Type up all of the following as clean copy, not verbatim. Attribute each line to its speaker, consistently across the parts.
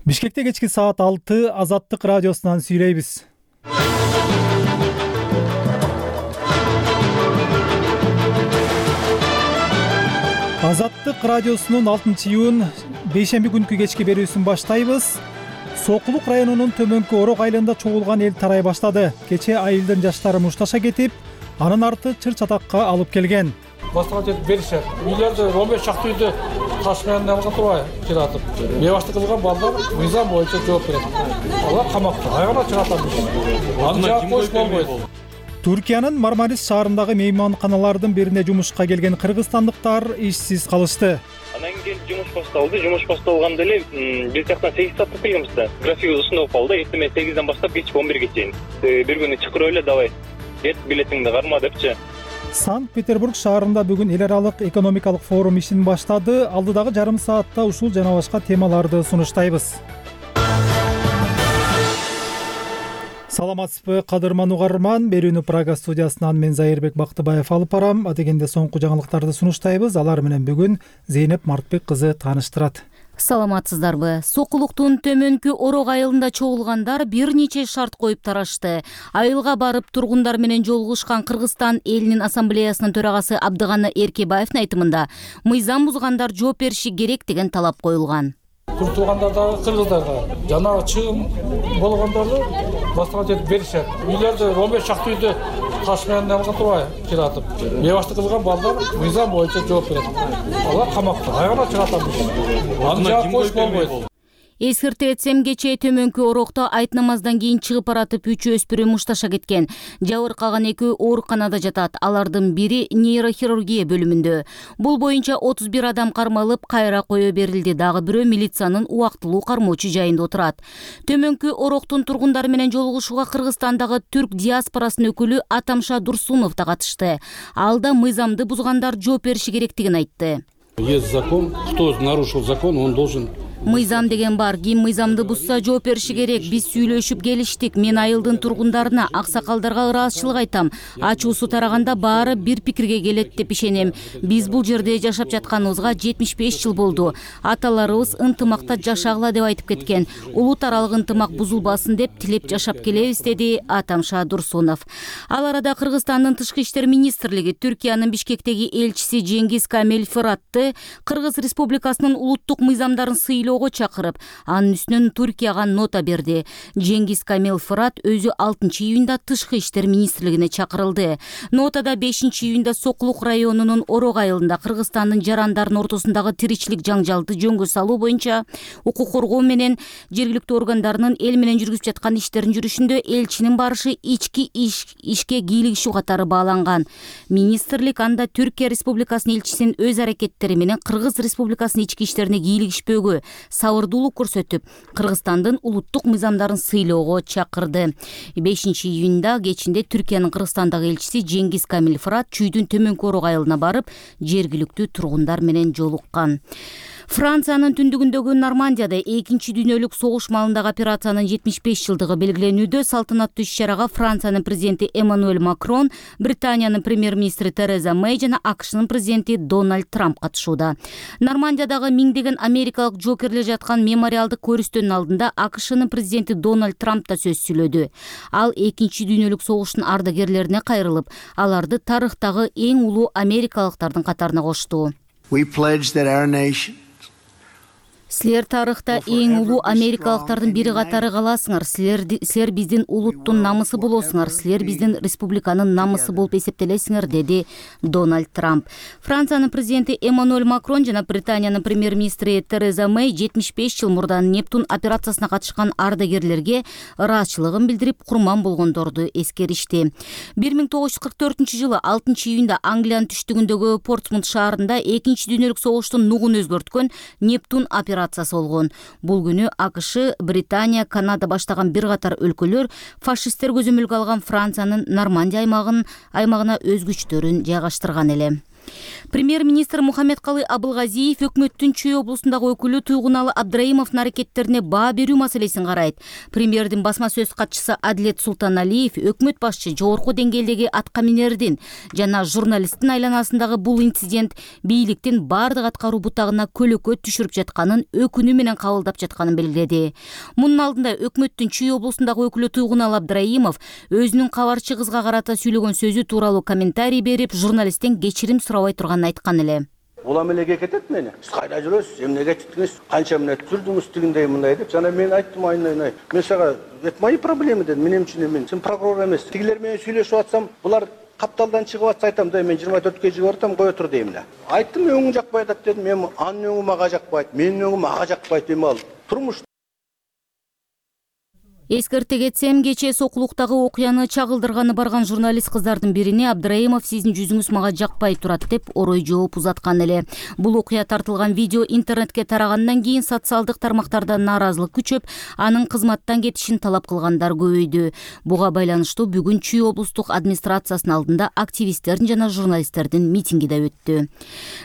Speaker 1: Бишкекте кечки саат 6 Азаттык радиосунан сүйлөйбүз. Азаттык радиосунун 6-июнь бейшемби күнкү кечки берүүсүн баштайбыз. Сокулук районунун Төмөнкү Орок айылында чогулган эл тарай баштады. Кече айылдын жаштары мушташа кетип, анын арты чыр-чатакка алып келген.
Speaker 2: Баштыга жетип беришет. Үйлөрдө 15 шакты үйдө таш менен алган турбай жыратып. Бебаштык кылган балдар мыйзам боюнча жооп берет. Алар камакта, айгана чыгатат. Аны кош болбойт.
Speaker 1: Түркиянын Мармарис шаарындагы мейманканалардын бирине жумушка келген кыргызстандыктар ишсиз калышты.
Speaker 3: Анан кийин жумуш башталды. Жумуш башталганда эле биз жактан 8 саатта келгенбиз да. График ушундай болуп калды. Эртең 8ден баштап кечки 11ге чейин. Бир күнү чакырып эле давай. Кет билетиңди карма депчи.
Speaker 1: Санкт-Петербург шаарында бүгүн эл аралык экономикалык форум ишин баштады. Алдыдагы жарым саатта ушул жана башка темаларды сунуштайбыз. Саламатсызбы, кадырман угарман. Берүүнү Прага студиясынан мен Зайырбек Бактыбаев алып барам. Адегенде соңку жаңылыктарды сунуштайбыз. Алар менен бүгүн Зейнеп Мартбек кызы тааныштырат.
Speaker 4: Саламатсыздарбы. Сокулуктун Төмөнкү Орок айылында чогулгандар бир нече шарт коюп тарашты. Айылга барып тургундар менен жолугушкан Кыргызстан элинин ассамблеясынын төрагасы Абдыганы Эркебаевдин айтымында мыйзам бузгандар жооп бериши керек деген талап коюлган.
Speaker 2: Туртулгандардагы кыргыздарга жана чыгым болгондорду баштыга жетип беришет. Үйлөрдө 15 шакты үйдө таш менен алган турбай жыратып. Бебаштык кылган балдар мыйзам боюнча жооп берет. Алар камакта, айгана чыгатат. Аны кош болбойт.
Speaker 4: Эскерте этсем, кече Төмөнкү Орокто айт намаздан кийин чыгып баратып 3 өспүрүм мушташа кеткен. Жабыркаган 2 ооруканада жатат. Алардын бири нейрохирургия бөлүмүндө. Бул боюнча 31 адам кармалып, кайра кое берилди. Дагы бирөө милициянын убактылуу кармоочу жайында отурат. Төмөнкү Ороктун тургундары менен жолугушууга Кыргызстандагы түрк диаспорасынын өкүлү Атамша Дурсунов да катышты. Ал да мыйзамды бузгандар жооп бериши керектигин айтты.
Speaker 5: Есть закон, кто нарушил закон, он должен.
Speaker 4: Мыйзам деген бар. Ким мыйзамды бузса жооп бериши керек. Биз сүйлөшүп келиштик. Мен айылдын тургундарына, аксакалдарга ыраазычылык айтам. Ачуусу тараганда баары бир пикирге келет деп ишенем. Биз бул жерде жашап жатканыбызга 75 жыл болду. Аталарыбыз ынтымакта жашагыла деп айтып кеткен. Улут аралык ынтымак бузулбасын деп тилеп жашап келебиз, деди Атамша Дурсунов. Ал арада Кыргызстандын тышкы иштер министрлиги Түркиянын Бишкектеги элчиси Жеңгиз Камил Фыратты Кыргыз Республикасынын улуттук мыйзамдарын сыйлоого чакырып, анын үстүнөн Түркияга нота берди. Жеңгиз Камил Фырат өзү 6-июнда тышкы иштер министрлигине чакырылды. Нотада 5-июнда Сокулук районунун Орок айылында Кыргызстандын жарандардын ортосундагы тиричилик жаңжалды жөнгө салуу боюнча укук коргоо менен жергиликтүү органдарынын эл менен жүргүзүп жаткан иштерин жүрүшүндө элчинин барышы ички ишке кийлигишүү катары бааланган. Министрлик анда Түркия Республикасынын элчисинин өз аракеттери менен Кыргыз Республикасынын ички иштерине кийлигишпөөгө сабырдуулук көрсөтүп, Кыргызстандын улуттук мыйзамдарын сыйлоого чакырды. 5-июнда кечинде Түркиянын Кыргызстандагы элчиси Жеңгиз Камил Фырат Чүйдүн Төмөнкү Орок айылына барып, жергиликтүү тургундар менен жолуккан. Франциянын түндүгүндөгү Нормандияда 2-чи дүйнөлүк согуш малындагы операциянын 75 жылдыгы белгиленүүдө салтанаттуу иш-чарага Франциянын президенти Эммануэль Макрон, Британиянын премьер-министри Тереза Мэй жана АКШнын президенти Дональд Трамп катышууда. Нормандиядагы миңдеген америкалык жокерлер жаткан мемориалдык көрүстөнүн алдында АКШнын президенти Дональд Трамп да сөз сүйлөдү. Ал 2-чи дүйнөлүк согуштун ардагерлерине кайрылып, аларды тарыхтагы эң улуу америкалыктардын катарына кошту. Силер тарыхта эң улуу америкалыктардын бири катары каласыңар. Силер биздин улуттун намысы болосуңар. Силер биздин республиканын намысы болуп эсептелесиңер, деди Дональд Трамп. Франциянын президенти Эммануэль Макрон жана Британиянын премьер-министри Тереза Мэй 75 жыл мурдан Нептун операциясына катышкан ардагерлерге ыраазычылыгын билдирип, курман болгондорду эскеришти. 1944-жылы 6-июнда Англиянын түштүгүндөгү Портсмут шаарында 2-чи дүйнөлүк согуштун нугун өзгөрткөн Нептун операциясы болгон. Бул күнү АКШ, Британия, Канада баштаган бир катар өлкөлөр фашисттер көзөмөлгө алган Франциянын Нормандия аймагына өз күчтөрүн жайгаштырган эле. Премьер-министр Мухаммедкалый Абылгазиев өкмөттүн Чүй облусундагы өкүлү Туйгуналы Абдраимовдун аракеттерине баа берүү маселесин карайт. Премьердин басма сөз катчысы Адилет Султаналиев өкмөт башчы жогорку деңгээлдеги атка минердин жана журналисттин айланасындагы бул инцидент бийликтин бардык аткаруу бутагына көлөкө түшүрүп жатканын өкүнүү менен кабылдап жатканын белгиледи. Мунун алдында өкмөттүн Чүй облусундагы өкүлү Туйгуналы Абдраимов өзүнүн кабарчы кызга карата сүйлөгөн сөзү тууралуу комментарий берип, журналисттен кечирим сурабай турганын айткан эле.
Speaker 6: Улам элеге кетет мени. Сиз кайда жүрөсүз? Эмнеге чыктыңыз? Канча мүнөт жүрдүңүз тигиндей мындай деп. Жана мен айттым айнай. Мен сага это мои проблемы дедим. Менин үчүн мен сен прокурор эмес. Тигилер менен сүйлөшүп атсам, булар капталдан чыгып атса айтам да, мен 24-кө жигип атам, кое тур дейм да. Айттым, өңүң жакпай атат дедим. Мен анын өңү мага жакпайт, менин өңүм ага жакпайт эми ал. Турмуш
Speaker 4: Эскерте кетсем, кечээ Сокулуктагы окуяны чагылдырганы барган журналист кыздардын бирине Абдраимов сиздин жүзүңүз мага жакпай турат деп орой жооп узаткан эле. Бул окуя тартылган видео интернетке тарагандан кийин социалдык тармактарда нааразылык күчөп, анын кызматтан кетишин талап кылгандар көбөйдү. Буга байланыштуу бүгүн Чүй облустук администрациясынын алдында активисттердин жана журналисттердин митинги да өттү.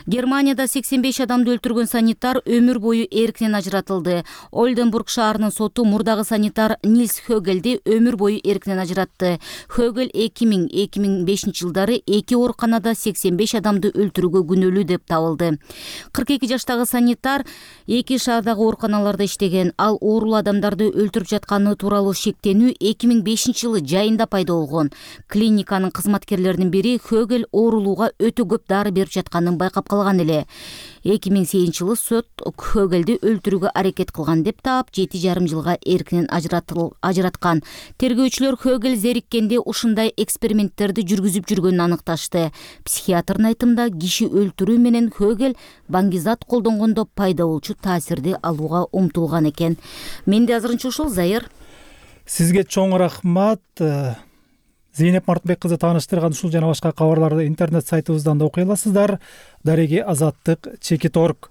Speaker 4: Германияда 85 адамды өлтүргөн санитар өмүр бою эркинен ажыратылды. Ольденбург шаарынын соту мурдагы санитар Нильс Хөгелди өмүр бою эркинен ажыратты. Хөгел 2000-2005 жылдары эки ооруканада 85 адамды өлтүрүүгө күнөөлүү деп табылды. 42 жаштагы санитар эки шаардагы ооруканаларда иштеген. Ал оорулуу адамдарды өлтүрүп жатканы тууралуу шектенүү 2005 жылы жайында пайда болгон. Клиниканын кызматкерлеринин бири Хөгел оорулууга өтө көп дары берип жатканын байкап калган эле. 2008 жылы сот Хөгелди өлтүрүүгө аракет кылган деп таап 7,5 жылга эркинен ажыраткан. Тергөөчүлөр Хөгел зериккенде ушундай эксперименттерди жүргүзүп жүргөнүн аныкташты. Психиатрдын айтымында киши өлтүрүү менен Хөгел баңгизат колдонгондо пайда болчу таасирди алууга умтулган экен. Менде азырынча ушул, Зайыр.
Speaker 1: Сизге чоң рахмат. Зейнеп Мартынбек кызы тааныштырган ушул жана башка кабарларды интернет сайтыбыздан да окуй аласыздар. Дареги Азаттык Чекит.org.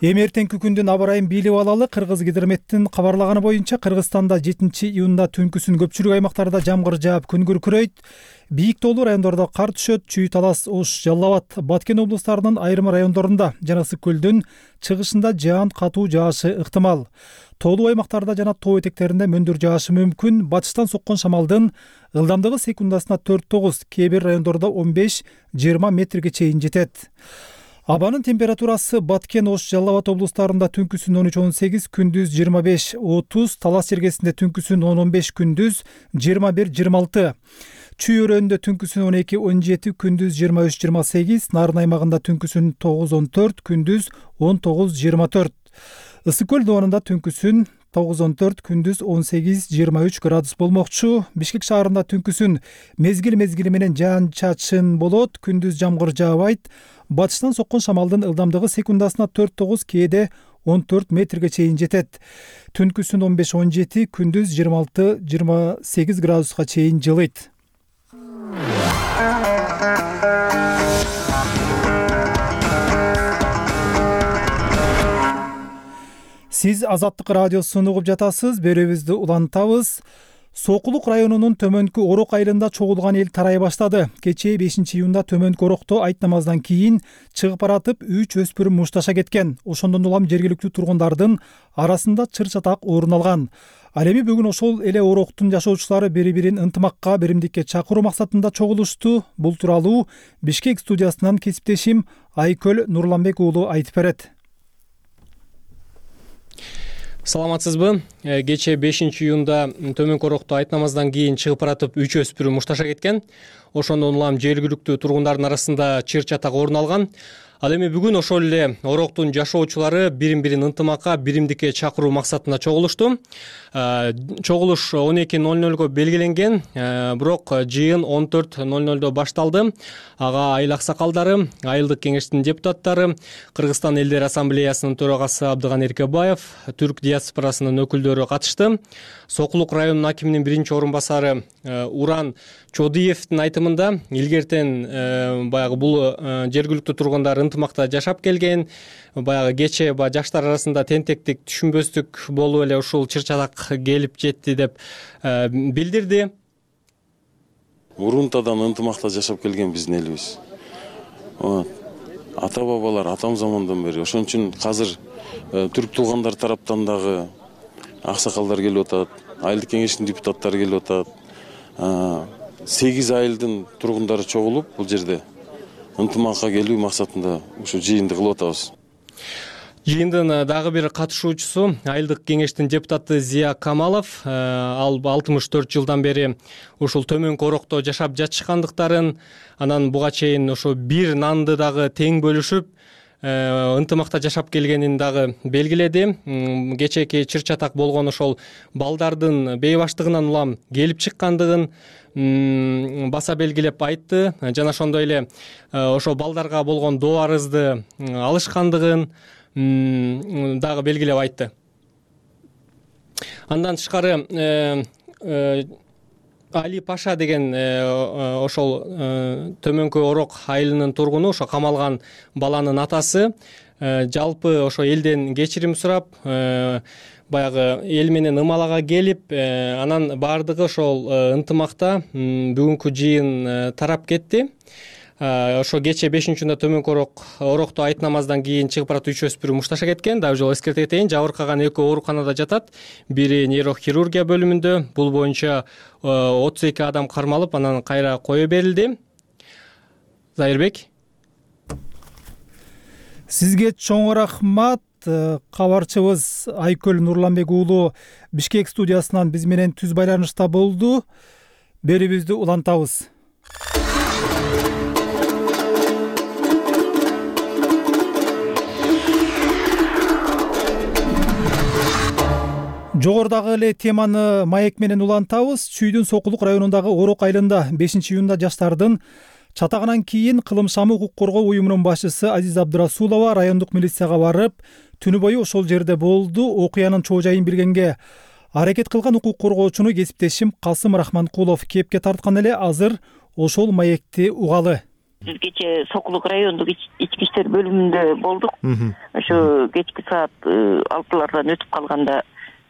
Speaker 1: Эми эртеңки күндүн аба ырайын билип алалы. Кыргызгидрометтин кабарлаганы боюнча Кыргызстанда 7-июнда түнкүсүн көпчүлүк аймактарда жамгыр жаап, күн күркүрөйт. Бийик тоолуу райондордо кар түшөт. Чүй, Талас, Ош, Жалал Абад, Баткен облустарынын айрым райондорунда жана Ысык көлдүн чыгышында жаан катуу жаашы ыктымал. Тоолуу аймактарда жана тоо этектеринде мөндүр жаашы мүмкүн. Батыштан соккон шамалдын ылдамдыгы секундасына 4-9, кээ бир райондордо 15-20 метрге чейин жетет. Абанын температурасы Баткен, Ош, Жалал Абад облустарында түнкүсүн 13-18, күндүз 25-30, Талас жергесинде түнкүсүн 10-15, күндүз 21-26. Чүй өрөөнүндө түнкүсүн 12-17, күндүз 23-28, Нарын аймагында түнкүсүн 9-14, күндүз 19-24. Ысык көл доонунда түнкүсүн 9-14, күндүз 18-23 градус болмокчу. Бишкек шаарында түнкүсүн мезгил менен жаан-чачын болот, күндүз жамгыр жаабайт. Батыштан соккон шамалдын ылдамдыгы секундасына 4-9, кээде 14 метрге чейин жетет. Түнкүсүн 15-17, күндүз 26-28 градуска чейин жылыйт. Сиз Азаттык радиосун угуп жатасыз. Берүүбүздү улантабыз. Сокулук районунун Төмөнкү Орок айылында чогулган эл тарай баштады. Кечээ 5-июнда Төмөнкү Орокто айт намаздан кийин чыгып баратып 3 өспүрүм мушташа кеткен. Ошондон улам жергиликтүү тургундардын арасында чыр-чатак орун алган. Ал эми бүгүн ошол эле Ороктун жашоочулары бири-бирин ынтымакка, биримдикке чакыруу максатында чогулушту. Бул тууралуу Бишкек студиясынан кесиптешим Айкөл Нурланбек уулу айтып берет.
Speaker 7: Саламатсызбы? Кечээ 5-июнда Төмөнкү Орокто айт намаздан кийин чыгып баратып 3 өспүрүм мушташа кеткен. Ошондон улам жергиликтүү тургундардын арасында чыр-чатак орун алган. Ал эми бүгүн ошол эле Ороктун жашоочулары бирин-бирин ынтымакка, биримдикке чакыруу максатында чогулушту. Чогулуш 12:00 белгиленген, бирок жыйын 14:00 башталды. Ага айыл аксакалдары, айылдык кеңештин депутаттары, Кыргызстан элдер ассамблеясынын төрагасы Абдыган Эркебаев, түрк диаспорасынын өкүлдөрү катышты. Сокулук районунун акиминин биринчи орун басары Уран Чодиевдин айтымында илгертен баягы бул жергиликтүү тургундар ынтымакта жашап келген, баягы кечээ жаштар арасында тентектик, түшүнбөстүк болуп эле ушул чыр-чатак келип жетти деп билдирди.
Speaker 8: Урунтадан ынтымакта жашап келген биздин элибиз. ата бабалар атам замандан бери ошон үчүн азыр түрк туугандар тараптан дагы аксакалдар келип атат, айылдык кеңештин депутаттары келип атат. 8 айылдын тургундары чогулуп бул жерде ынтымакка келүү максатында ушу жыйынды кылып атабыз.
Speaker 7: Жыйындын дагы бир катышуучусу айылдык кеңештин депутаты Зия Камалов. Ал 64 жылдан бери ушул Төмөнкү Орокто жашап жатышкандыктарын, анан буга чейин ошо бир нанды дагы тең бөлүшүп ынтымакта жашап келгенин дагы белгиледи. Кечээки чыр чатак болгон ошол балдардын бейбаштыгынан улам келип чыккандыгын баса белгилеп айтты. Жана ошондой эле ошо балдарга болгон доо арызды алышкандыгын дагы белгилеп айтты. Андан тышкары Али Паша деген ошол Төмөнкү Орок айылынын тургуну, ошо камалган баланын атасы, жалпы ошо элден кечирим сурап, баягы эл менен ымалага келип, анан баардыгы ошол ынтымакта бүгүнкү жыйын тарап кетти. Ошо кечээ 5-июнда Төмөнкү Орокто айт намаздан кийин чыгып барат 3 өспүрүм мушташа кеткен. Дагы жол эскерте кетейин, жабыркаган 2 ооруканада жатат. Бири нейрохирургия бөлүмүндө. Бул боюнча 32 адам кармалып, анан кайра кое берилди. Зайырбек.
Speaker 1: Сизге чоң рахмат. Кабарчыбыз Айкөл Нурланбек уулу Бишкек студиясынан биз менен түз байланышта болду. Берүүбүздү улантабыз. Жогорудагы эле теманы маек менен улантабыз. Чүйдүн Сокулук районундагы Орок айылында 5-июнда жаштардын чатагынан кийин Кылымшамы укук коргоо уюмунун башчысы Азиз Абдырасулова райондук милицияга барып, түнү бою ошол жерде болду. Окуянын чоо жайын билгенге аракет кылган укук коргоочуну кесиптешим Касым Рахманкулов кепке тарткан эле. Азыр ошол маекти угалы.
Speaker 9: Биз кечээ Сокулук райондук ички иштер бөлүмүндө болдук. Ошо кечки саат 6-лардан өтүп калганда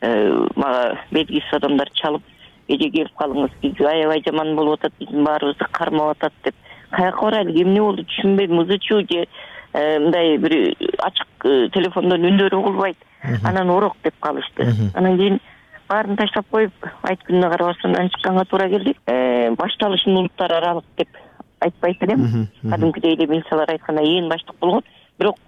Speaker 9: мага белгисиз адамдар чалып, эже келип калыңыз, биз аябай жаман болуп атат, биздин баарыбызды кармап атат деп. Каяка барайлы, эмне болду түшүнбөйм, ызычуу же мындай бир ачык телефондон үндөрү угулбайт. Анан Орок деп калышты. Анан кийин баарын таштап коюп, айт күнүнө карабастан чыкканга туура келди. Башталышын улуттар аралык деп айтпайт элем. Кадимкидей эле милициялар айткандай ээн баштык болгон. Бирок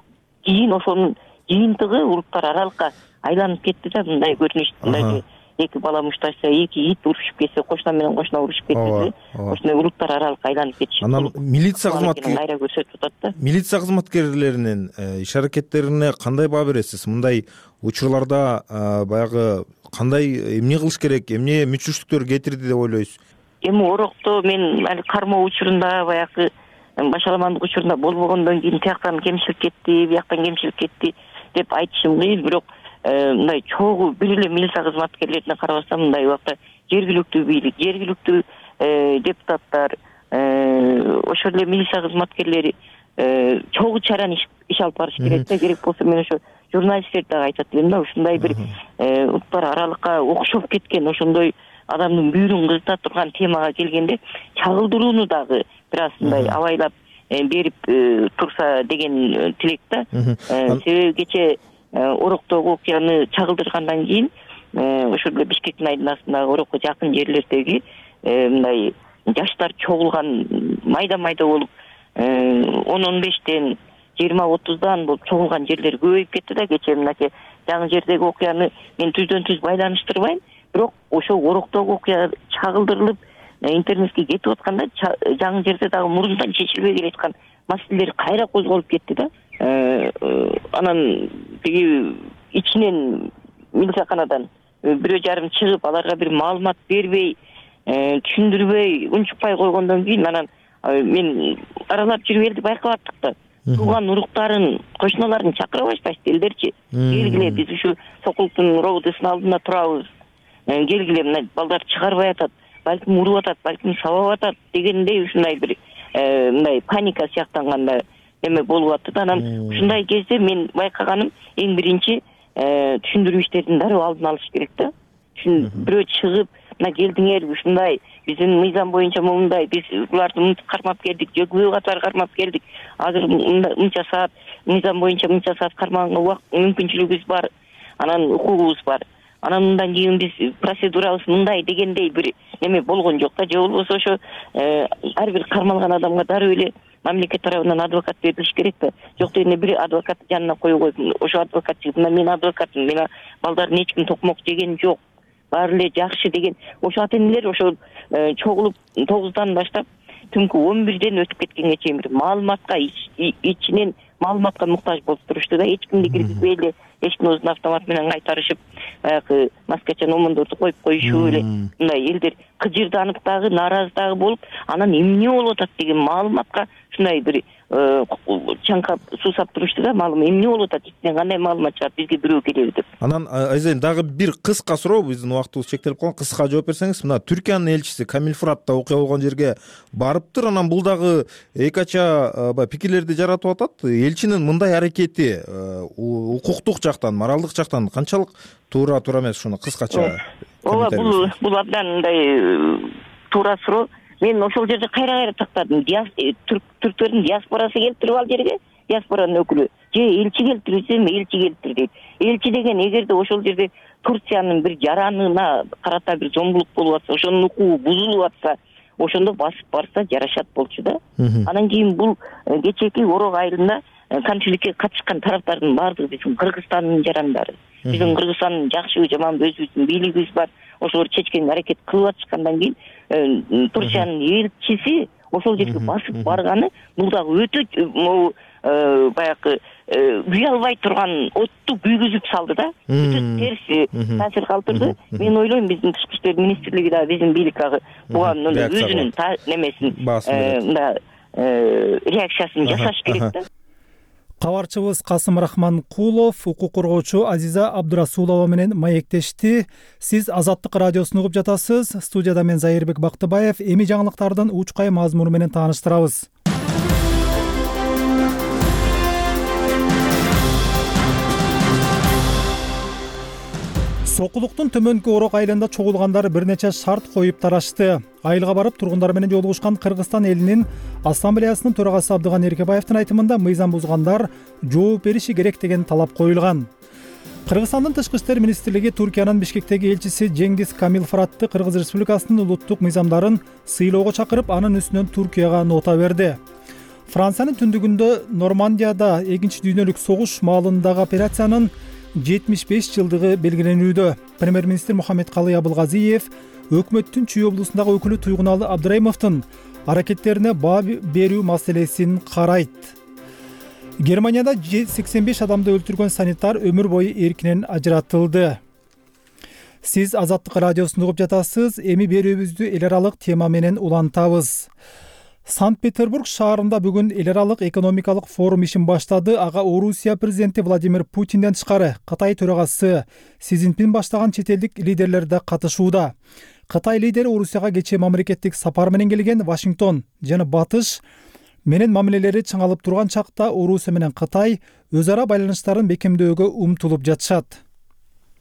Speaker 9: кийин ошонун жыйынтыгы улуттар аралыкка айланып кетти да, мындай көрүнүштө. Эки бала мушташса, эки ит урушуп кетсе, кошуна менен кошуна урушуп кетти. Ошондой улуттар аралыкка айланып кетиши.
Speaker 10: Анан милиция
Speaker 9: кайра көрсөтүп атат да.
Speaker 10: Милиция кызматкерлеринин иш аракеттерине кандай баа бересиз? Мындай учурларда баягы кандай эмне кылыш керек, эмне мүчүрчүлүктөр кетирди деп ойлойсуз?
Speaker 9: Эми Орокто мен кармоо учурунда, баягы башаламандык учурунда болбогондон кийин тияктан кемчилик кетти, бияктан кемчилик кетти деп айтышым кыйын. Бирок мындай чогуу бир эле милиция кызматкерлерине карабастан мындай убакта жергиликтүү бийлик, жергиликтүү депутаттар, ошол эле милиция кызматкерлери чогуу чараны иш алып барыш керек да. Керек болсо мен ошо журналисттерди дагы айтат элем да, ушундай бир улуттар аралыкка окшоп кеткен, ошондой адамдын бүйүрүн кызыта турган темага келгенде чагылдырууну дагы бир аз мындай абайлап берип турса деген тилек да. Себеби кечээ Ороктогу окуяны чагылдыргандан кийин ошол эле Бишкектин айдынасындагы Орокко жакын жерлердеги мындай жаштар чогулган майда болуп 10-15тен 20-30дан болуп чогулган жерлер көбөйүп кетти да. Кечээ мынакей жаңы жердеги окуяны мен түздөн түз байланыштырбайм, бирок ошол Ороктогу окуя чагылдырылып интернетке кетип атканда жаңы жерде дагы мурунтан чечилбей келаткан маселелер кайра козголуп кетти да. Анан тиги ичинен милицияканадан бирөө жарым чыгып, аларга бир маалымат бербей, түшүндүрбөй, унчукпай койгондон кийин анан мен аралап жүрүп элди байкап аттык да. Тууган уруктарын, кошуналарын чакыра башташты элдерчи. Келгиле, биз ушу Сокулуктун робудысынын алдында турабыз. Келгиле, мына балдар чыгарбай атат, балким уруп атат, балким сабап атат дегендей ушундай бир мындай паника сыяктанганда эме болуп атты да. Анан ушундай кезде мен байкаганым эң биринчи түшүндүрүү иштерин дароо алдын алыш керек да. Бирөө чыгып мына келдиңер ушундай биздин мыйзам боюнча мындай биз буларды мынтип кармап келдик, же күбө катары кармап келдик. Азыр мынча саат мыйзам боюнча мынча саат кармаганга мүмкүнчүлүгүбүз бар, анан укугубуз бар. Анан мындан кийин биз процедурабыз мындай дегендей бир эме болгон жок да, же болбосо ошо ар бир кармалган адамга дароо эле мамлекет тарабынан адвокат берилиш керек да. Жок дегенде бир адвокат жанына коюп койуп, ошо адвокат мына мен адвокатмын, мена балдарын эч ким токмок жеген жок, баары эле жакшы деген ошо ата-энелер ошо чогулуп 9-дан баштап түнкү 11-ден өтүп кеткенге чейин бир маалыматка ичинен маалыматка муктаж болуп турушту да. Эч кимди киргизбей эле эшиктин оозуна автомат менен кайтарышып, баягы маскача номондорду коюп коюшуп эле мындай элдер кыжырданып дагы, нааразы дагы болуп, анан эмне болуп атат деген маалыматка ушундай бир чаңкап суусап турушту да. Маалым эмне болуп атат, ичинен кандай маалымат чыгат, бизге бирөө келеби деп.
Speaker 10: Анан Айзен дагы бир кыска суроо, биздин убактыбыз чектелип калган, кыска жооп берсеңиз. Мына Түркиянын элчиси Камил Фырат да окуя болгон жерге барыптыр. Анан бул дагы эки ача пикирлерди жаратып атат. Элчинин мындай аракети укуктук жактан, моралдык жактан канчалык туура эмес, ушуну кыскача.
Speaker 9: Ооба, бул абдан мындай туура суроо. Мен ошол жерде кайра тактадым. Түрктөрдүн диаспорасы келиптирип ал жерге, диаспоранын өкүлү. Же элчи келиптирсем, элчи келиптир дейт. Элчи деген эгерде ошол жерде Турциянын бир жаранына карата бир зомбулук болуп атса, ошонун укугу бузулуп атса, ошондо басып барса жарашат болчу да. Анан кийин бул кечээки Орок айылында конфликтке катышкан тараптардын баардыгы биздин Кыргызстандын жарандары. Биздин Кыргызстандын жакшыбы жаманбы өзүбүздүн бийлигибиз бар. Ошолор чечкен аракет кылып атышкандан кийин Турциянын элчиси ошол жерге басып барганы бул дагы өтө баягы күй албай турган отту күйгүзүп салды да. Өтө терс таасир калтырды. Мен ойлойм биздин тышкы иштер министрлиги дагы биздин бийлик буга өзүнүн немесин реакциясын жасаш керек да.
Speaker 1: Кабарчыбыз Касым Рахманкулов укук коргоочу Азиза Абдурасулова менен маектешти. Сиз Азаттык радиосун угуп жатасыз. Студияда мен Зайырбек Бактыбаев. Эми жаңылыктардын учкай мазмуну менен тааныштырабыз. Сокулуктун төмөнкү Орок айылында чогулгандар бир нече шарт коюп тарашты. Айылга барып тургундар менен жолугушкан Кыргызстан элинин ассамблеясынын төрагасы Абдыган Эркебаевдин айтымында мыйзам бузгандар жооп бериши керек деген талап коюлган. Кыргызстандын тышкы иштер министрлиги Түркиянын Бишкектеги элчиси Жеңгиз Камил Фыратты Кыргыз Республикасынын улуттук мыйзамдарын сыйлоого чакырып, анын үстүнөн Түркияга нота берди. Франциянын түндүгүндө Нормандияда Экинчи дүйнөлүк согуш маалындагы операциянын 75 жылдыгы белгиленүүдө. Премьер-министр Мухаммед Калый Абылгазиев өкмөттүн Чүй облусундагы өкүлү Туйгуналы Абдырайымовдун аракеттерине баа берүү маселесин карайт. Германияда 85 адамды өлтүргөн санитар өмүр бою эркинен ажыратылды. Сиз Азаттык радиосун угуп жатасыз. Эми берүүбүздү эл аралык тема менен улантабыз. Санкт-Петербург шаарында бүгүн эл аралык экономикалык форум ишин баштады. Ага Орусия президенти Владимир Путинден тышкары Кытай төрагасы Си Цзиньпин баштаган чет элдик лидерлер да катышууда. Кытай лидери Орусияга кечээ мамлекеттик сапар менен келген. Вашингтон жана Батыш менен мамилелери чыңалып турган чакта Орусия менен Кытай өз ара байланыштарын бекемдөөгө умтулуп жатышат.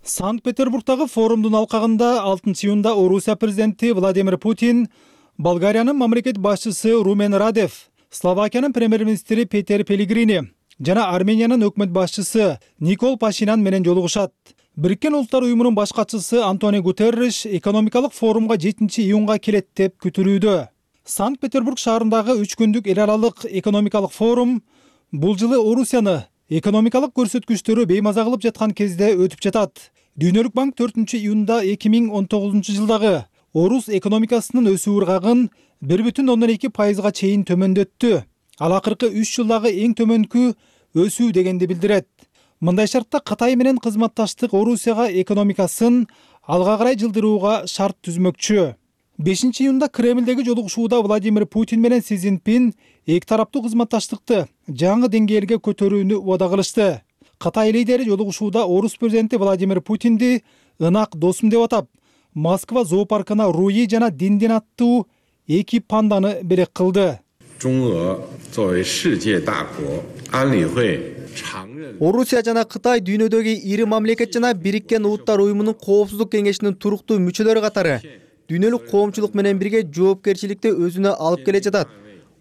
Speaker 1: Санкт-Петербургдагы форумдун алкагында 6-июнда Орусия президенти Владимир Путин, Болгариянын мамлекет башчысы Румен Радев, Словакиянын премьер-министри Петер Пелигрини жана Армениянын өкмөт башчысы Никол Пашинян менен жолугушат. Бириккен Улуттар уюмунун баш катчысы Антонио Гутерриш экономикалык форумга 7-июнга келет деп күтүлүүдө. Санкт-Петербург шаарындагы 3 күндүк эл аралык экономикалык форум бул жылы Орусияны экономикалык көрсөткүчтөрү беймаза кылып жаткан кезде өтүп жатат. Дүйнөлүк банк 4-июнда 2019-жылдагы Орус экономикасынын өсүү ыргагын 1,2% чейин төмөндөттү. Ал акыркы 3 жылдагы эң төмөнкү өсүү дегенди билдирет. Мындай шартта Кытай менен кызматташтык Орусияга экономикасын алга карай жылдырууга шарт түзмөкчү. 5-июнда Кремлдеги жолугушууда Владимир Путин менен Си Цзиньпин эки тараптуу кызматташтыкты жаңы деңгээлге көтөрүүнү убада кылышты. Кытай лидери жолугушууда Орус президенти Владимир Путинди ынак досум деп атап, Москва зоопаркына Руи жана Диндин аттуу эки панданы белек кылды.
Speaker 11: Орусия жана Кытай дүйнөдөгү ири мамлекет жана Бириккен Улуттар уюмунун Коопсуздук кеңешинин туруктуу мүчөлөрү катары дүйнөлүк коомчулук менен бирге жоопкерчиликти өзүнө алып келе жатат.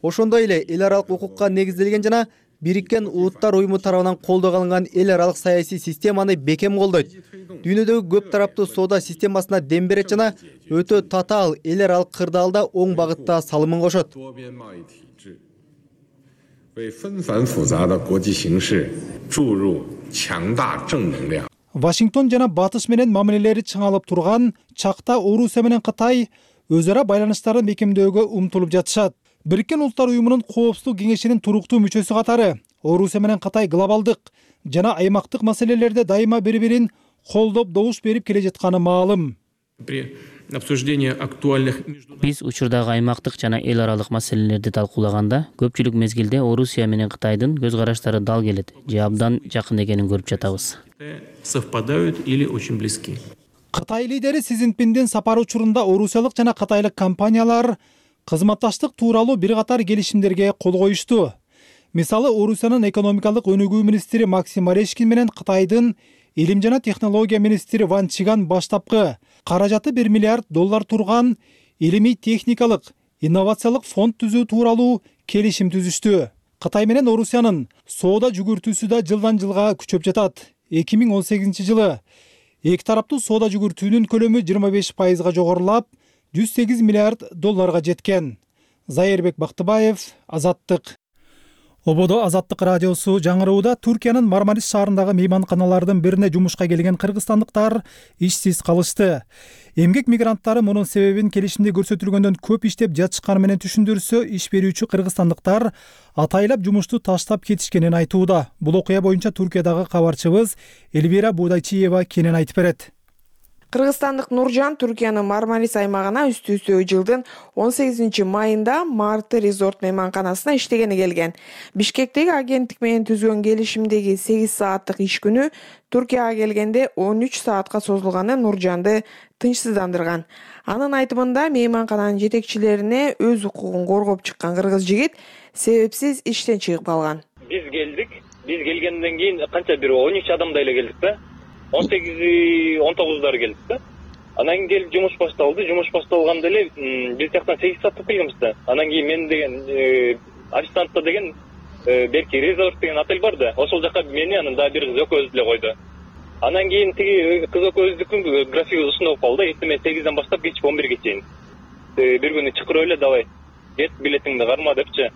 Speaker 11: Ошондой эле эл аралык укукка негизделген жана Бириккен Улуттар уюму тарабынан колдоого алынган эл аралык саясий системаны бекем колдойт. Дүйнөдөгү көп тараптуу соода системасына дем берет жана өтө татаал эл аралык кырдаалда оң багытта салымын кошот.
Speaker 1: Вашингтон жана Батыш менен мамилелери чыңалып турган чакта Орусия менен Кытай өз ара байланыштарын бекемдөөгө умтулуп жатышат. Бириккен Улуттар уюмунун Коопсуздук кеңешинин туруктуу мүчөсү катары Орусия менен Кытай глобалдык жана аймактык маселелерде дайыма бири-бирин колдоп добуш берип келе жатканы маалым.
Speaker 12: Биз учурдагы аймактык жана эл аралык маселелерди талкуулаганда көпчүлүк мезгилде Орусия менен Кытайдын көз караштары дал келет же абдан жакын экенин көрүп жатабыз.
Speaker 1: Кытай лидери Си Цзиньпиндин сапары учурунда орусиялык жана кытайлык компаниялар кызматташтык тууралуу бир катар келишимдерге кол коюшту. Мисалы, Орусиянын экономикалык өнүгүү министри Максим Орешкин менен Кытайдын илим жана технология министри Ван Чиган баштапкы каражаты $1 миллиард турган илимий техникалык инновациялык фонд түзүү тууралуу келишим түзүштү. Кытай менен Орусиянын соода жүгүртүүсү да жылдан жылга күчөп жатат. 2018 жылы эки тараптуу соода жүгүртүүнүн көлөмү 25% жогорулап, $108 миллиард жеткен. Зайырбек Бактыбаев, Азаттык. Ободо Азаттык радиосу жаңырууда Түркиянын Мармарис шаарындагы мейманканалардын бирине жумушка келген кыргызстандыктар ишсиз калышты. Эмгек мигранттары мунун себебин келишимде көрсөтүлгөндөн көп иштеп жатышканы менен түшүндүрсө, иш берүүчү кыргызстандыктар атайлап жумушту таштап кетишкенин айтууда. Бул окуя боюнча Түркиядагы кабарчыбыз Эльвира Будайчиева кенен айтып берет.
Speaker 13: Кыргызстандык Нуржан Түркиянын Мармарис аймагына үстү-үстү жылдын 18 майында Марты резорт мейманканасына иштегени келген. Бишкектеги агенттик менен түзгөн келишимдеги 8 сааттык иш күнү Түркияга келгенде 13 саатка созулганы Нуржанды тынчсыздандырган. Анын айтымында мейманкананын жетекчилерине өз укугун коргоп чыккан кыргыз жигит себепсиз иштен чыгып калган.
Speaker 3: Биз келгенден кийин канча бир 13 адамдай эле келдик да. 18-19 келдик да. Анан кийин келип жумуш башталды. Жумуш башталганда эле биз жактан 8 саатта келгенбиз да. Анан кийин мен деген арештантта деген берки резорт деген отель бар да. Ошол жака мени анан дагы бир кыз экөөбүздү эле койду. Анан кийин тиги кыз экөөбүздүкүн график сунуп калды. Эртең 8ден баштап кечки 11ге чейин. Бир күнү чакырып эле давай. Кет билетиңди карма депчи.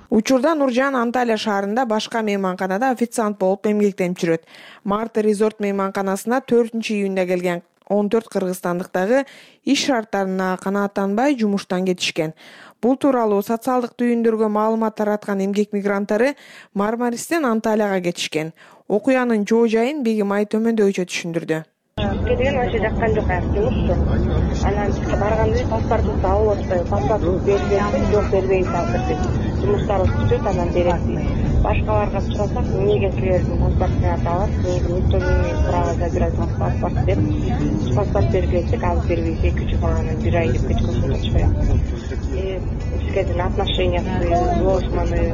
Speaker 13: Учурда Нуржан Анталия шаарында башка мейманканада официант болуп эмгектенип жүрөт. Марты резорт мейманканасына 4-июнда келген 14 кыргызстандык дагы иш шарттарына канааттанбай жумуштан кетишкен. Бул тууралуу социалдык түйүндөргө маалымат тараткан эмгек мигранттары Мармаристен Анталияга кетишкен. Окуянын жоо жайын Бегим Ай төмөндөгүчө түшүндүрдү.
Speaker 14: Кеткен вообще жаккан жок жумушту. Анан барганда паспортубузду алып атпайбы, паспортубузду бербейбиз, жок бербейбиз азыр. Жумуштарыбыз түшөт, анан беребиз. Башкаларга сурасак, эмнеге силердин паспортуңарды алат, никто не право забирать паспорт деп, паспорт бергенсек алып бербейбиз, 2 жыл анан 1 ай деп кеткен атышпайбы. Бизге деле отношениясы сложный,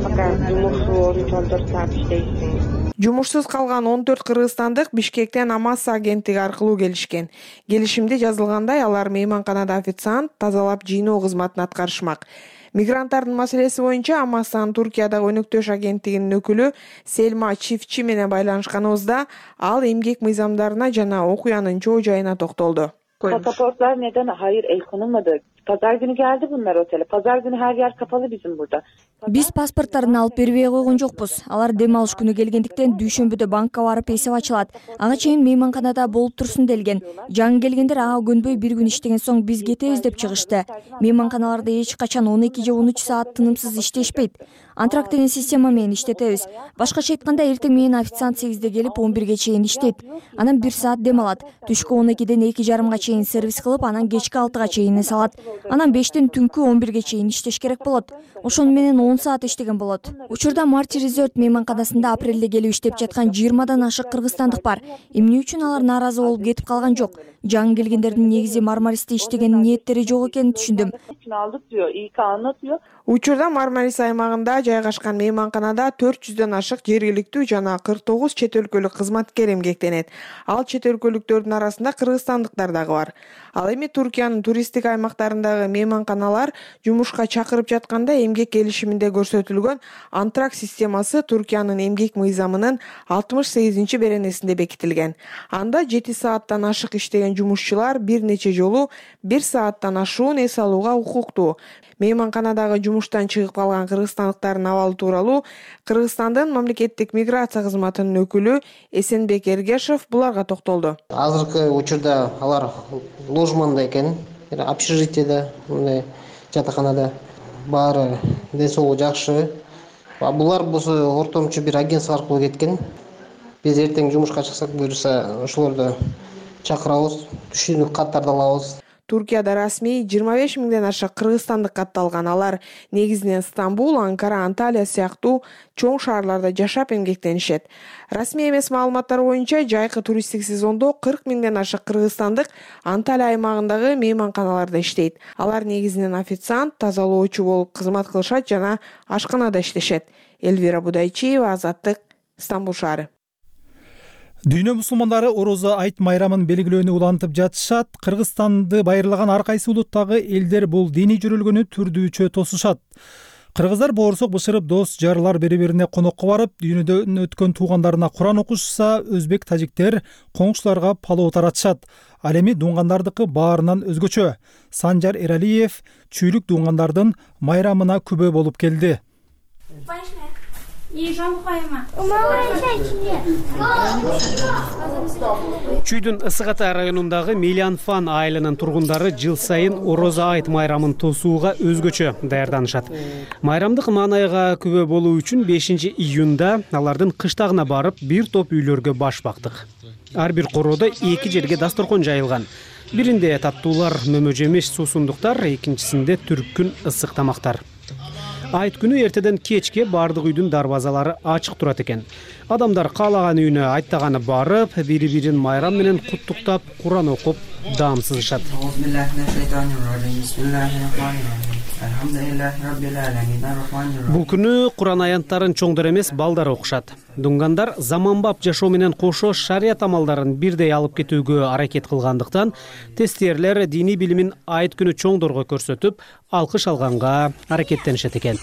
Speaker 14: пока жумушу 13-14 саат иштейсиң.
Speaker 13: Жумушсуз калган 14 кыргызстандык Бишкектен Амаса агенттиги аркылуу келишкен. Келишимде жазылгандай, алар мейманканада официант, тазалап жыйноо кызматын аткарышмак. Мигранттардын маселеси боюнча Амасанын Туркиядагы өнөктөш агенттигинин өкүлү Сельма Чифчи менен байланышканыбызда ал эмгек мыйзамдарына жана окуянын чоо жайына токтолду.
Speaker 15: Pasaportlar neden? Hayır, el konulmadı. Pazar günü geldi bunlar otele. Pazar günü her yer kapalı bizim burada.
Speaker 16: Биз паспорттарын алып бербей койгон жокпуз. Алар дем алыш күнү келгендиктен дүйшөмбүдө банкка барып эсеп ачылат. Ага чейин мейманканада болуп турсун делген. Жаңы келгендер ага көнбөй бир күн иштеген соң биз кетебиз деп чыгышты. Мейманканаларда эч качан 12 же 13 саат тынымсыз иштешпейт. Антракт деген система менен иштетебиз. Башкача айтканда эртең менен официант 8де келип 11ге чейин иштейт. Анан 1 саат дем алат. Түшкү 12ден 2:30га чейин сервис кылып, анан кечки 6га чейин салат. Анан 5тен түнкү 11ге чейин иштеш керек болот. Ошону менен 10 саат иштеген болот. Учурда Марти резорт мейманканасында апрелде келип иштеп жаткан 20дан ашык кыргызстандык бар. Эмне үчүн алар нааразы болуп кетип калган жок? Жаңы келгендердин негизи Мармаристе иштеген ниеттери жок экенин түшүндүм.
Speaker 13: Учурда Мармарис аймагында жайгашкан мейманканада 400дөн ашык жергиликтүү жана 49 чет өлкөлүк кызматкер эмгектенет. Ал чет өлкөлүктөрдүн арасында кыргызстандыктар дагы бар. Ал эми Туркиянын туристтик аймактарындагы мейманканалар жумушка чакырып жатканда эмгек келишиминде көрсөтүлгөн антракт системасы Туркиянын эмгек мыйзамынын 68 беренесинде бекитилген. Анда 7 сааттан ашык иштеген жумушчулар бир нече жолу 1 сааттан ашуун эс алууга укуктуу. Мейманканадагы жумуштан чыгып калган кыргызстандыктардын абалы тууралуу Кыргызстандын мамлекеттик миграция кызматынын өкүлү Эсенбек Эргешев буларга токтолду.
Speaker 17: Азыркы учурда алар ложманда экен, общежитиеде, мындай жатаканада баары ден соолугу жакшы. Булар болсо ортомчу бир агентство аркылуу кеткен. Биз эртең жумушка чыксак буюрса ошолорду чакырабыз, түшүнүк каттарды алабыз.
Speaker 13: Туркияда расмий 25 миңден ашык кыргызстандык катталган. Алар негизинен Стамбул, Анкара, Анталия сыяктуу чоң шаарларда жашап эмгектенишет. Расмий эмес маалыматтар боюнча жайкы туристтик сезондо 40 миңден ашык кыргызстандык Анталия аймагындагы мейманканаларда иштейт. Алар негизинен официант, тазалоочу болуп кызмат кылышат жана ашканада иштешет. Элвира Будайчиева, Азаттык, Стамбул шаары.
Speaker 1: Дүйнө мусулмандары Орозо айт майрамын белгилөөнү улантып жатышат. Кыргызстанды байырлаган ар кайсы улуттагы элдер бул диний жүрүлгөнү түрдүүчө тосушат. Кыргыздар боорсок бышырып дос жарлар бири-бирине конокко барып, дүйнөдөн өткөн туугандарына Куран окушса, өзбек тажиктер коңшуларга палоо таратышат. Ал эми дуңгандардыкы баарынан өзгөчө. Санжар Эралиев чүйлүк дуңгандардын майрамына күбө болуп келди.
Speaker 18: Чүйдүн Ысык Ата районундагы Мелианфан айылынын тургундары жыл сайын Орозо айт майрамын тосууга өзгөчө даярданышат. Майрамдык маанайга күбө болуу үчүн 5 июнда алардын кыштагына барып, бир топ үйлөргө баш бактык. Ар бир короодо 2 жерге дасторкон жайылган. Биринде таттуулар, мөмө жемиш, суусундуктар, экинчисинде түркүн ысык тамактар. Айт күнү эртеден кечке бардык үйдүн дарбазалары ачык турат экен. Адамдар каалаган үйүнө айттаганы барып, бири-бирин майрам менен куттуктап, Куран окуп, даам сызышат. Бул күнү Куран аянттарын чоңдор эмес, балдар окушат. Дуңгандар заманбап жашоо менен кошо шарият амалдарын бирдей алып кетүүгө аракет кылгандыктан, тестиерлер диний билимин айт күнү чоңдорго көрсөтүп, алкыш алганга аракеттенишет экен.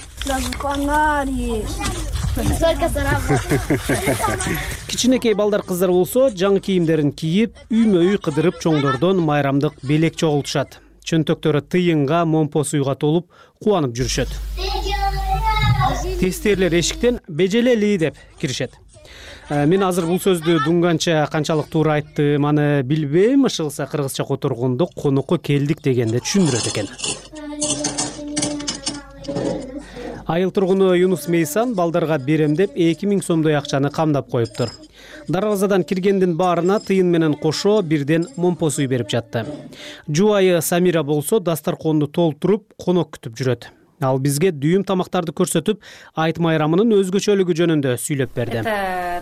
Speaker 18: Кичинекей балдар кыздар болсо, жаңы кийимдерин кийип, үймө-үй кыдырып чоңдордон майрамдык белек чогултушат. Чөнтөктөрү тыйынга, момпо суйга толуп, кубанып жүрүшөт. Тестиерлер эшиктен бежелели деп киришет. Мен азыр бул сөздү дуңганча канчалык туура айттым, аны билбейм, ышылса кыргызча которгондо конокко келдик дегенде түшүндүрөт экен. Айыл тургуну Юнус Мейсан балдарга берем деп 2000 сомдой акчаны камдап коюптур. Дарбазадан киргендин баарына тыйын менен кошо бирден момпо суй берип жатты. Жубайы Самира болсо дасторконду толтуруп, конок күтүп жүрөт. Ал бизге дүйүм тамактарды көрсөтүп, айт майрамынын өзгөчөлүгү жөнүндө сүйлөп берди.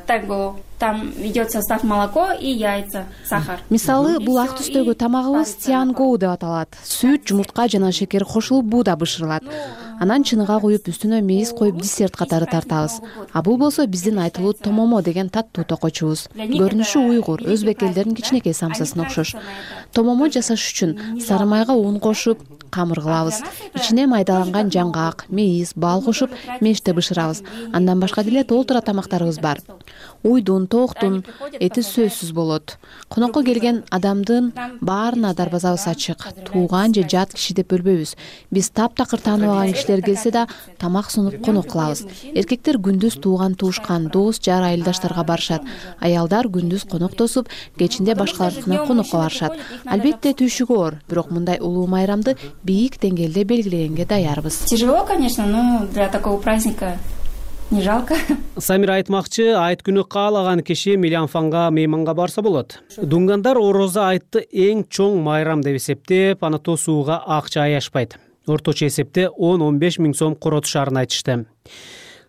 Speaker 19: Танго, там идет состав молоко и яйца, сахар.
Speaker 20: Мисалы, бул ак түстөгү тамагыбыз тиангоу деп аталат. Сүт, жумуртка жана шекер кошулуп бууда бышырылат. Анан чыныга коюп, үстүнө мейиз коюп десерт катары тартабыз. А бул болсо биздин айтылуу томомо деген таттуу токочубуз. Көрүнүшү уйгур, өзбек элдеринин кичинекей самсасына окшош. Томомо жасаш үчүн сары майга ун кошуп, камыр кылабыз. Ичине майдаланган жаңгак, мейиз, бал кошуп, меште бышырабыз. Андан башка деле толтура тамактарыбыз бар. Уйдун, тооктун эти сөзсүз болот. Конокко келген адамдын баарына дарбазабыз ачык. Тууган же жат киши деп бөлбөйбүз. Биз таптакыр тааныбаган кишилер келсе да тамак сунуп конок кылабыз. Эркектер күндүз тууган туушкан, дос, жар, айылдаштарга барышат. Аялдар күндүз конок тосуп, кечинде башкалардыкына конокко барышат. Албетте түйшүгү оор, бирок мындай улуу майрамды бийик деңгээлде белгилегенге даярбыз.
Speaker 19: Тяжело, конечно, но для такого праздника не жалко.
Speaker 18: Самира айтмакчы, айт күнү каалаган киши Мелианфанга мейманга барса болот. Дуңгандар Орозо айтты эң чоң майрам деп эсептеп, аны тосууга акча аяшпайт. Орточо эсепте 10-15 миң сом коротушарын айтышты.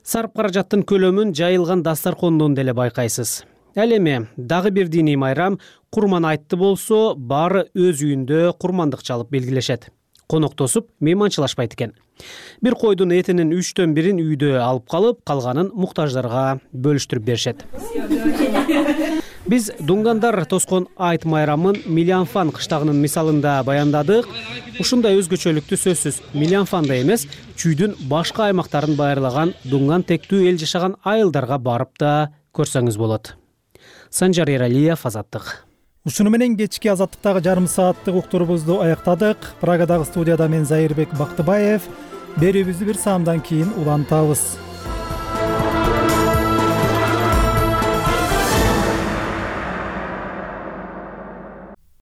Speaker 18: Сарп каражаттын көлөмүн жайылган дасторкондон деле байкайсыз. Ал эми дагы бир диний майрам Курман айтты болсо, баары өз үйүндө курмандык чалып белгилешет. коноктосуп мейманчылашпайт экен. Бир койдун этинин 1/3 үйдө алып калып, калганын муктаждарга бөлүштүрүп беришет. Биз Дунгандар тоскон айт майрамын Милянфан кыштагынын мисалында баяндадык. Ушундай өзгөчөлүктү сөзсүз Милянфанда эмес, чүйдүн башка аймактарын байырлаган Дунган тектүү эл жашаган айылдарга барып да көрсөңүз болот. Санжар Эралиев, Азаттык.
Speaker 1: Ушуну менен кечки Азаттыктагы жарым сааттык уктурубузду аяктадык. Прагадагы студияда мен Зайырбек Бактыбаев. Берүүбүздү бир саамдан кийин улантабыз.